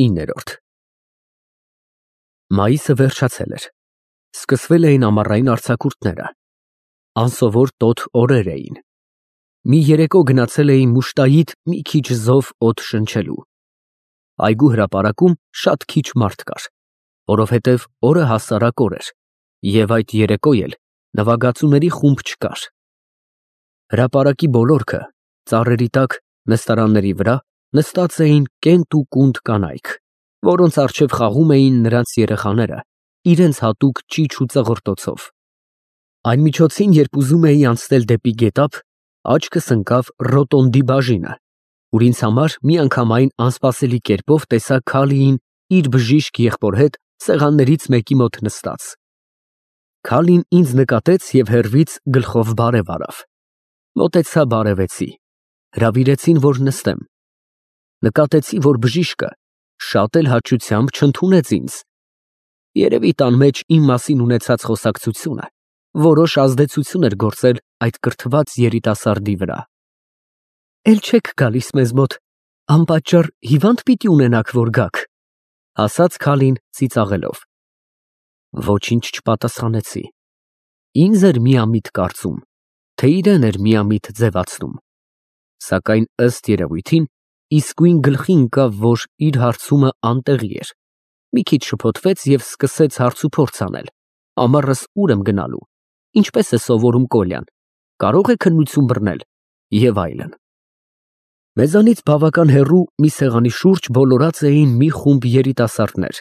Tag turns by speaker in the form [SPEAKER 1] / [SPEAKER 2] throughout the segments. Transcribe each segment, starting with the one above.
[SPEAKER 1] 9։ Մայիսը վերջացել էր։ Սկսվել էին ամառային արձակուրդները։ Անսովոր տոտ օրեր էին։ Մի երեկո գնացել էի Մուշտայիդ մի քիչ զով օդ շնչելու։ Այգու հրապարակում շատ քիչ մարդ կար, որովհետև օրը հասարակ օր էր, և այդ երեկո էլ նվագածուների խումբ չկար։ Հրապարակի բոլորքը, ծառերի տակ, նստարանների վրա նստած էին կենտ ու կունդ կանայք, որոնց առջև խաղում էին նրանց երեխաները, իրենց հատուկ ճիչ ու ծղրտոցով։ Այն միջոցին, երբ ուզում էի անցնել դեպի գետափ, աչքս ընկավ ռոտոնդի բաժինը, ուր ինձ համար միանգամայն անսպասելի կերպով տեսա Քալիին իր բժիշկ եղբոր հետ սեղաններից մեկի մոտ նստած։ Քալին ինձ նկատեց և հեռվից գլխով բարև արավ։ Մոտեցա, բարևեցի, հրավիրեցին, որ նստեմ։ Նկատեցի, որ բժիշկը շատ էլ հաճությամբ չընդունեց ինձ։ Երևի տան մեջ իմ մասին ունեցած խոսակցությունը որոշ ազդեցություն էր գործել այդ կրթված երիտասարդի վրա։ «Էլ չեք գալիս մեզ մոտ, անպատճառ հիվա՞նդ պիտի ունենաք, որ գաք», ասաց Քալին ծիծաղելով։ Ոչինչ չպատասխանեցի։ Ինձ էր միամիտ կարծում, թե իրեն էր միամիտ ձևացնում։ Սակայն ըստ երևույթին իսկույն գլխի ընկավ, որ իր հարցումը անտեղի էր։ Մի քիչ շփոթվեց և սկսեց հարցուփորձ անել. ամառս ուր եմ գնալու, ինչպես է սովորում Կոլյան, կարող է քննություն բռնել և այլն։ Մեզանից բավական հեռու մի սեղանի շուրջ բոլորած էին մի խումբ երիտասարդներ,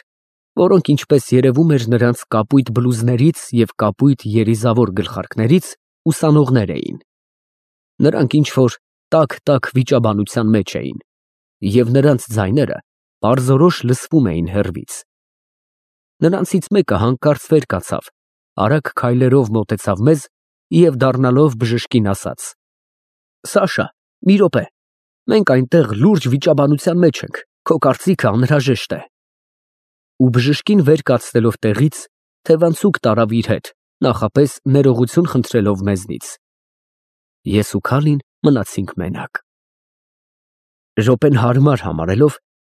[SPEAKER 1] որոնք, ինչպես երևում էր նրանց կապույտ բլուզներից և կապույտ երիզավոր գլխարկներից, ուսանողներ էին։ Նրանք ինչ-որ տաք վիճաբանության մեջ էին, և նրանց ձայները պարզորոշ լսվում էին հեռվից։ Նրանցից մեկը հանկարծ վեր կացավ, արագ քայլերով մոտեցավ մեզ և դառնալով բժշկին ասաց. «Սաշա, մի րոպե, մենք այնտեղ լուրջ վիճաբանության մեջ ենք, քո կարծիքը անհրաժեշտ է»։ Ու բժշկին վեր կացնելով տեղից, թևանցուկ տարավ իր հետ, նախապես ներողություն խնդրելով մեզնից։ Ես ու Քալին մնացինք մենակ։ Րոպեն հարմար համարելով,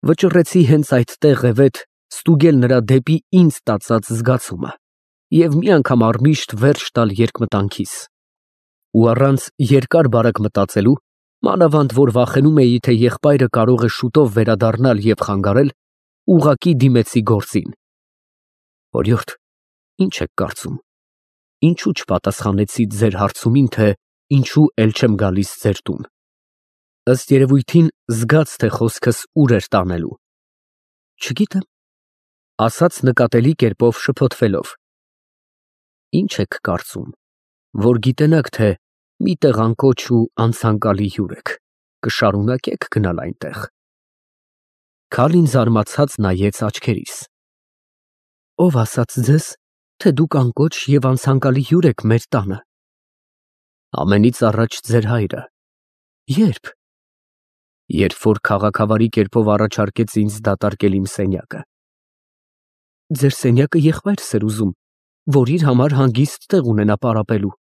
[SPEAKER 1] վճռեցի հենց այդ տեղևեթ ստուգել նրա դեպի ինձ տածած զգացումը և մի անգամ առմիշտ վերջ տալ երկմտանքիս։ Ու առանց երկար բարակ մտածելու, մանավանդ որ վախենում էի, թե եղբայրը կարող է շուտով վերադառնալ և խանգարել, ուղղակի դիմեցի գործին։ «Օրիորդ, ի՞նչ եք կարծում, ինչու չպատասխանեցիք ձեր հարցումին, թե ինչու էլ չեմ գալիս ձեր տուն»։ Ըստ երևույթին զգաց, թե խոսքս ուր էր տանելու։ «Չգիտեմ», ասաց նկատելի կերպով շփոթվելով։ «Ի՞նչ եք կարծում, որ գիտենաք, թե մի տեղ անկոչ ու անցանկալի հյուր եք, կշարունակե՞ք գնալ այնտեղ»։ Քալին զարմացած նայեց աչքերիս։ «Ո՞վ ասաց ձեզ, թե դուք անկոչ և անցանկալի հյուր եք մեր տանը»։ «Ամենից առաջ ձեր հայրը»։ «Ե՞րբ»։ «Երբ որ քաղաքավարի կերպով առաջարկեց ինձ դատարկել իմ սենյակը»։ «Ձեր սենյակը եղբայրս էր ուզում, որ իր համար հանգիստ տեղ ունենա պարապելու»։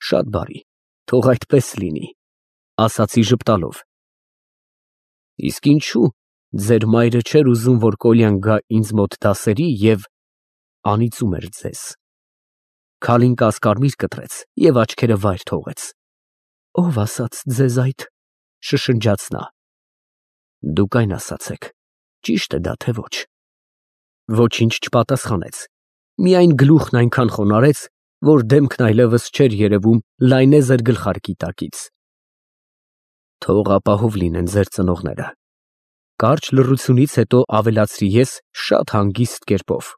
[SPEAKER 1] «Շատ բարի, թող այդպես լինի», ասացի ժպտալով։ «Իսկ ինչու ձեր մայրը չէր ուզում, որ Կոլյան գա ինձ մոտ դասերի և անիծում էր ձեզ»։ Քալին կասկարմիր կտրեց և աչքերը վայր թողեց։ «Ո՞վ ասաց ձեզ այդ», շշնջաց նա։ «Դուք այն ասացեք, ճի՞շտ է դա, թե ոչ»։ Ոչինչ չպատասխանեց, միայն գլուխն այնքան խոնարհեց, որ դեմքն այլևս չէր երևում լայնեզր գլխարկի տակից։ «Թող ապահով լինեն ձեր ծնողները», կարճ լռությունից հետո ավելացրի ես շատ հանգիստ կերպով։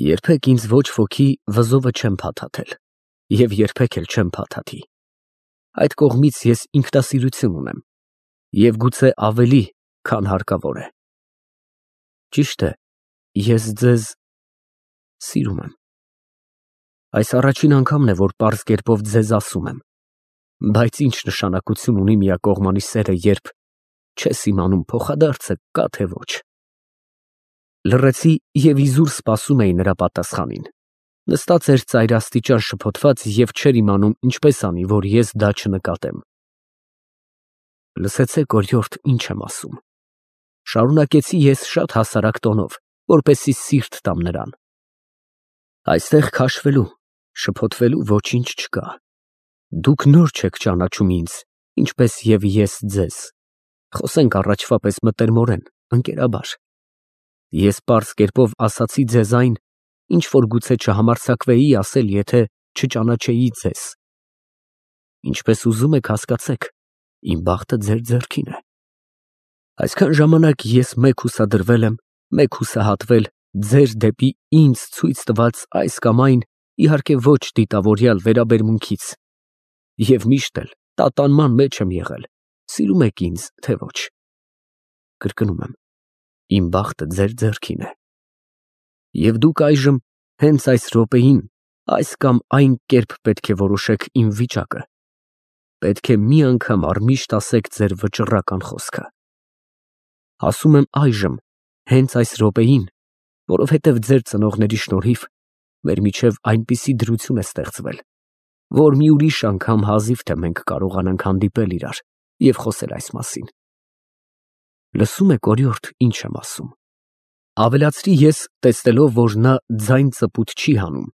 [SPEAKER 1] «Երբեք ինձ ոչ ոքի վզովը չեմ փաթաթել և երբեք էլ չեմ փաթաթի։ Այդ կողմից ես ինքնասիրություն ունեմ և գուցե ավելի, քան հարկավոր է։ Ճիշտ է, ես ձեզ սիրում եմ։ Այս առաջին անգամն է, որ պարզ կերպով ձեզ ասում եմ, բայց ինչ նշանակություն ունի միակողմանի սերը, երբ չես իմանում փոխադարձը կա թե ոչ»։ Լռեցի և իզուր սպասում էի նրա պատասխանին։ Նստած էր ծայրաստիճան շփոթված և չէր իմանում ինչպես անի, որ ես դա չնկատեմ։ «Լսեցեք, օրիորդ, ինչ եմ ասում, Շարունակեցի ես շատ հասարակ տոնով, որպեսզի սիրտ տամ նրան։ Այստեղ քաշվելու, շփոթվելու ոչինչ չկա։ Դուք նոր չեք ճանաչում ինձ, ինչպես և ես ձեզ։ Խոսենք առաջվա պես մտերմորեն, ընկերաբար։ Ես պարզ կերպով ասացի ձեզ այն, ինչ որ գուցե չհամարձակվեի ասել, եթե չճանաչեի ձեզ։ Ինչպես ուզում եք հասկացեք, իմ բախտը ձեր ձեռքին է։ Այսքան ժամանակ ես մեկ հուսադրվել եմ, մեկ հուսահատվել ձեր դեպի ինձ ցույց տված այս կամ այն, իհարկե ոչ դիտավորյալ վերաբերմունքից։ Եվ միշտ էլ տատանման մեջ եմ եղել, սիրում եք ինձ, թե ոչ։ Կրկնում եմ, իմ բախտը ձեր ձեռքին է։ Եվ դուք այժմ հենց այս րոպեին այս կամ այն կերպ պետք է որոշեք իմ վիճակը։ Պետք է մի անգամ առմիշտ ասեք ձեր վճռական խոսքը։ Ասում եմ այժմ, հենց այս րոպեին, որովհետև ձեր ծնողների շնորհիվ մեր միջև այնպիսի դրություն է ստեղծվել, որ մի ուրիշ անգամ հազիվ թե մենք կարողանանք հանդիպել իրար և խոսել այս մասին։ Լսում եք, օրիորդ, ինչ եմ ասում։ Ավելացրի ես, տեսնելով, որ նա ձայն ծպուտ չի հանում,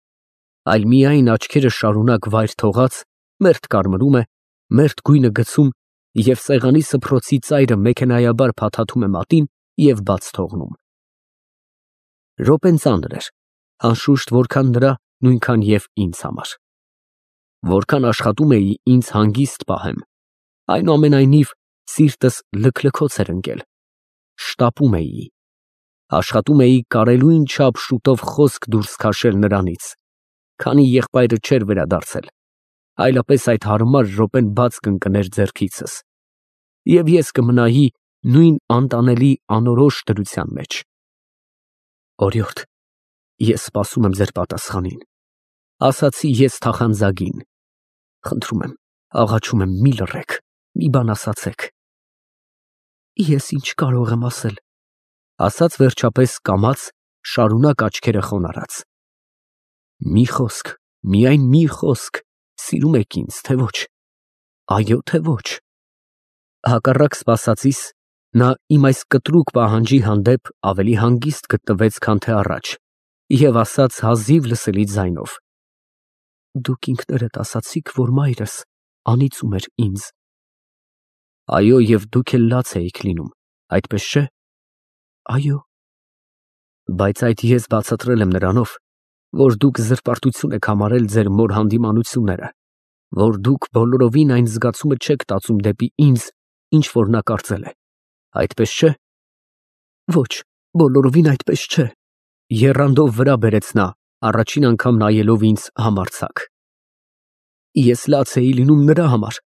[SPEAKER 1] այլ միայն աչքերը շարունակ վայր թողած, մերթ կարմրում է, մերթ գույնը գցում և սեղանի սփռոցի ծայրը մեքենայաբար փաթաթում է մատին և բաց թողնում։ Րոպեն ծանր էր, անշուշտ որքան նրա, նույնքան և ինձ համար։ Որքան աշխատում էի ինձ հանգիստ պահեմ, այնուամենայնիվ սիրտս լքլքոց էր ընկել, շտապում էի, աշխատում էի կարելույն չափ շուտով խոսք դուրս քաշել նրանից, քանի եղբայրը չէր վերադարձել, այլապես այդ հարմար րոպեն բաց կընկներ ձեռքիցս, և ես կմնայի նույն անտանելի անորոշ դրության մեջ։ Օրիորդ, ես սպասում եմ ձեր պատասխանին, ասացի ես թախանձագին։ Խնդրում եմ, աղաչում եմ, մի լռեք, մի բան ասացեք։ Ես ինչ կարող եմ ասել, ասաց վերջապես կամաց, շարունակ աչքերը խոնարհած։ Մի խոսք, միայն մի խոսք, սիրում եք ինձ, թե ոչ։ Այո, թե ոչ։ Հակառակ սպասածիս, նա իմ այս կտրուկ պահանջի հանդեպ ավելի հանգիստ գտնվեց, քան թե առաջ, և ասաց հազիվ լսելի ձայնով. Դուք ինքներդ ասացիք, որ մայրս անիծում էր ինձ։ Այո, և դուք էլ լաց էիք լինում, այդպես չէ։ Այո։ Բայց այդ ես բացատրել եմ նրանով, որ դուք զրպարտություն եք համարել ձեր մոր հանդիմանությունները, որ դուք բոլորովին այն զգացումը չեք տածում դեպի ինձ, ինչ որ նա կարծել է, այդպես չէ։ Ոչ, բոլորովին այդպես չէ, եռանդով վրա բերեց նա, առաջին անգամ նայելով ինձ համարձակ։ Ես լաց էի լինում նրա համար,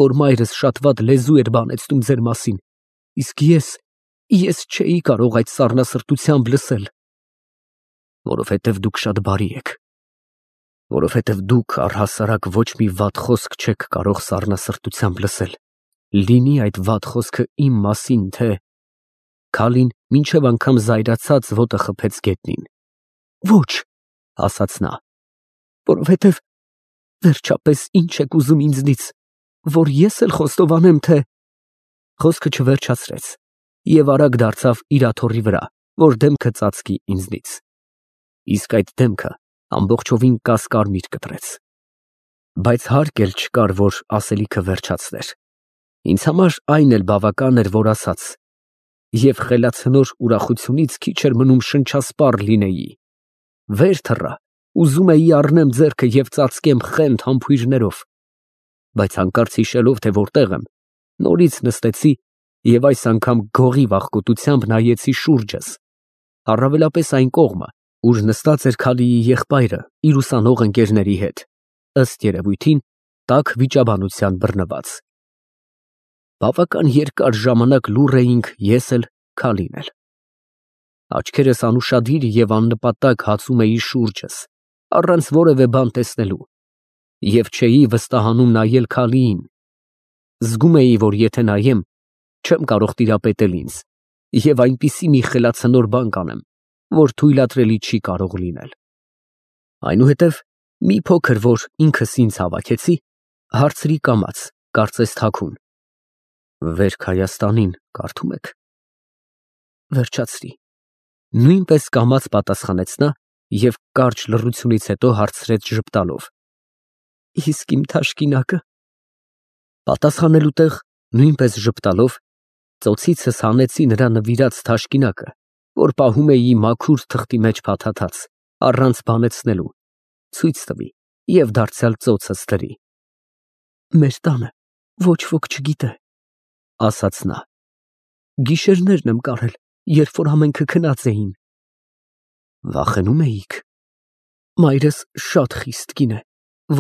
[SPEAKER 1] որ մայրս շատ վատ լեզու էր բանեցնում ձեր մասին, իսկ ես չէի կարող այդ սառնասրտությամբ լսել։ Որովհետև դուք շատ բարի եք, որովհետև դուք առհասարակ ոչ մի վատ խոսք չեք կարող սառնասրտությամբ լսել, լինի այդ վատ խոսքը իմ մասին, թե… Քալին մինչև անգամ զայրացած ոտը խփեց գետնին։ Ոչ, ասաց նա, որովհետև վերջապես ինչ եք ուզում ինձնից, որ ես էլ խոստովանեմ, թե… Խոսքը չվերջացրեց և արագ դարձավ իր աթոռի վրա, որ դեմքը ծածկի ինձնից։ Իսկ այդ դեմքը ամբողջովին կասկարմիր կտրեց։ Բայց հարկ էլ չկար, որ ասելիքը վերջացներ։ Ինձ համար այն էլ բավական էր, որ ասաց, և խելացնոր ուրախությունից քիչ էր մնում շնչասպառ լինեի։ Վեր թռա, ուզում էի առնեմ ձեռքը և ծածկեմ խենթ համբույրներով, բայց հանկարծ հիշելով, թե որտեղ եմ, նորից նստեցի և այս անգամ գողի վախկոտությամբ նայեցի շուրջս, առավելապես այն կողմը, ուր նստած էր Քալիի եղբայրը իր ուսանող ընկերների հետ, ըստ երևույթին, տաք վիճաբանության բռնված։ Բավական երկար ժամանակ լուռ էինք ես էլ, Քալին էլ։ Աչքերս անուշադիր և աննպատակ հացում էի շուրջս, առանց որևէ բան տեսնելու, և չէի վստահանում նայել Քալիին։ Զգում էի, որ եթե նայեմ, չեմ կարող տիրապետել ինձ, և այնպիսի մի խելացնոր բան կանեմ, որ թույլատրելի չի կարող լինել։ Այնուհետև մի փոքր, որ ինքս ինձ հավաքեցի, հարցրի կամաց, կարծես թաքուն. Վերք Հայաստանին կարդում եք։ Վերջացրի։ Նույնպես կամաց պատասխանեց նա և կարճ լռությունից հետո հարցրեց ժպտալով. Իսկ իմ թաշկինակը։ Պատասխանելու տեղ, նույնպես ժպտալով, ծոցիցս հանեցի նրա նվիրած թաշկինակը, որ պահում էի մաքուր թղթի մեջ փաթաթած, առանց բանեցնելու, ցույց տվի և դարձյալ ծոցս դրի։ Մեր տանը ոչ ոք չգիտե, ասաց նա։ Գիշերներն եմ կարել, երբ որ ամենքը քնած էին։ Վախենում էիք։ Մայրս շատ խիստ կին է,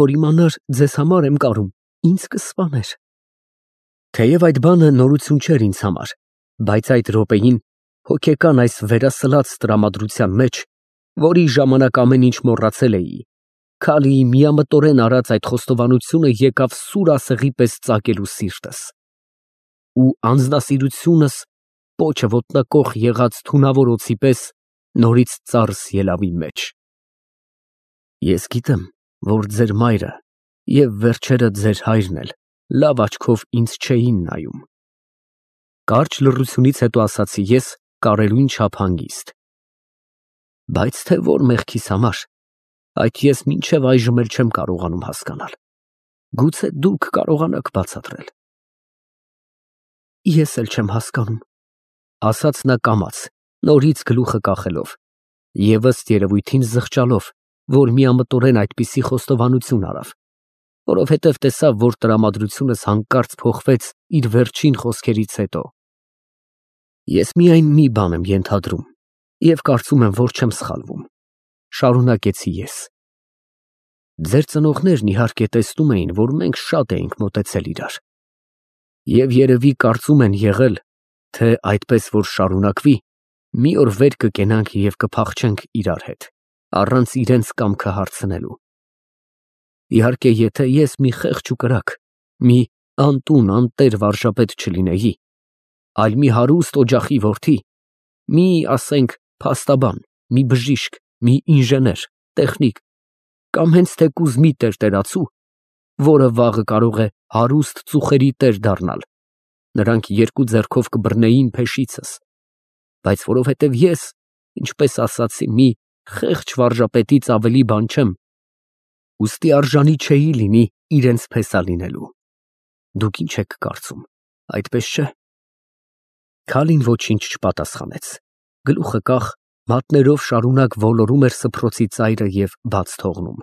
[SPEAKER 1] որ իմանար ձեզ համար եմ կարում, ինձ կսպաներ։ Թեև այդ բանը նորություն չէր ինձ համար, բայց այդ րոպեին հոգեկան այս վերասլաց տրամադրության մեջ, որի ժամանակ ամեն ինչ մոռացել էի, Քալիի միամտորեն արած այդ խոստովանությունը եկավ սուր ասեղի պես ծակելու սիրտս։ Ու անձնասիրությունս պոչը ոտնակոխ եղած թունավոր օձի պես նորից ծարս ելավ իմ մեջ։ Ես գիտեմ, որ ձեր մայրը և վերջերը ձեր հայրն էլ լավ աչքով ինձ չէին նայում։ Կարճ լռությունից հետո ասացի ես կարելույն չափ հանգիստ։ Բայց թե որ մեղքիս համար, այդ ես մինչև այժմ էլ չեմ կարողանում հասկանալ։ Գուցե դուք կարողանաք բացատրել։ Ես էլ չեմ հասկանում, ասաց նա կամաց, նորից գլուխը կախելով և ըստ երևույթին զղջալով, որ միամտորեն այդպիսի խոստովանություն արավ, որովհետև տեսավ, որ տրամադրությունս հանկարծ փոխվեց իր վերջին խոսքերից հետո։ Ես միայն մի բան եմ ենթադրում և կարծում եմ, որ չեմ սխալվում, շարունակեցի ես։ Ձեր ծնողներն իհարկե տեսնում էին, որ մենք շատ էինք մոտեցել իրար, և երևի կարծում են եղել, թե այդպես որ շարունակվի, մի օր վեր կկենանք և կփախչենք իրար հետ, առանց իրենց կամքը հարցնելու։ Իհարկե, եթե ես մի խեղճ ու կրակ, մի անտուն, անտեր վարժապետ չլինեի, այլ մի հարուստ օջախի որդի, մի, ասենք, փաստաբան, մի բժիշկ, մի ինժեներ, տեխնիկ, կամ հենց թեկուզ մի տերտերացու, որը վաղը կարող է հարուստ ծուխերի տեր դառնալ, նրանք երկու ձեռքով կբռնեին փեշիցս, բայց որովհետև ես, ինչպես ասացի, մի խեղճ վարժապետից ավելի բան չեմ, ուստի արժանի չէի լինի իրենց փեսա լինելու։ Դուք ինչ եք կարծում, այդպես չէ՞։ Քալին ոչինչ չպատասխանեց, գլուխը կախ, մատներով շարունակ ոլորում էր սփռոցի ծայրը և բաց թողնում։